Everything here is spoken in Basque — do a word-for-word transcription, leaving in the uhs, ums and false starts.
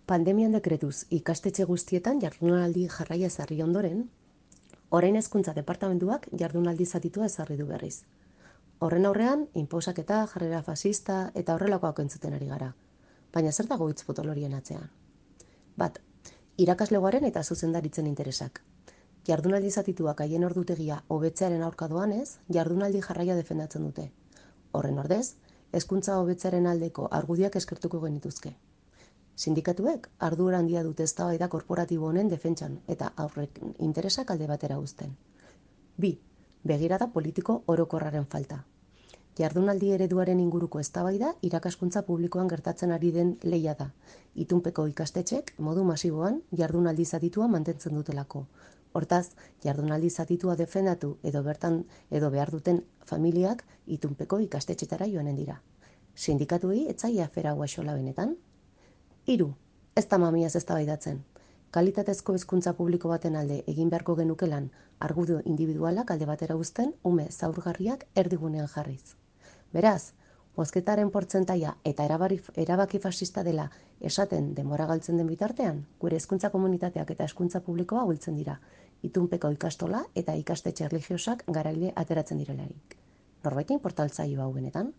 Pandemian dekretuz ikastetxe guztietan jardunaldi jarraia ezarri ondoren, orain hezkuntza departamentuak jardunaldi zatitua ezarri du berriz. Horren aurrean, inposaketa, jarrera fasista eta horrelakoak entzuten ari gara. Baina zer dago hitz potolorien atzean? Bat, irakaslegoaren eta zuzendaritzen interesak. Jardunaldi zatituak haien ordutegia hobetzearen aurka doanez, jardunaldi jarraia defendatzen dute. Horren ordez, hezkuntza hobetzearen aldeko argudiak eskertuko genituzke. Sindikatuek ardura handia dute eztabaida korporatibo honen defentsan eta aurrek interesak alde batera uzten. Bi, begirada politiko orokorraren falta. Jardunaldi ereduaren inguruko eztabaida irakaskuntza publikoan gertatzen ari den lehia da. Itunpeko ikastetxek modu masiboan jardunaldi zatitua mantentzen dutelako. Hortaz, jardunaldi zatitua defendatu edo bertan edo behar duten familiak itunpeko ikastetxetara joanen dira. Sindikatuei ez zaie afera hau axola benetan? Hiru, ez da mamiaz eztabaidatzen. Kalitatezko hezkuntza publiko baten alde egin beharko genuke lan, argudio individualak alde batera uzten, ume zaurgarriak erdigunean jarriz. Beraz, bozketaren portzentaia eta erabari, erabaki fascista dela esaten denbora galtzen den bitartean, gure hezkuntza komunitateak eta hezkuntza publikoa ahultzen dira, itunpeko ikastola eta ikastetxe erlijiosak garaile ateratzen direlarik. Norbaitin portaltzaio hau benetan?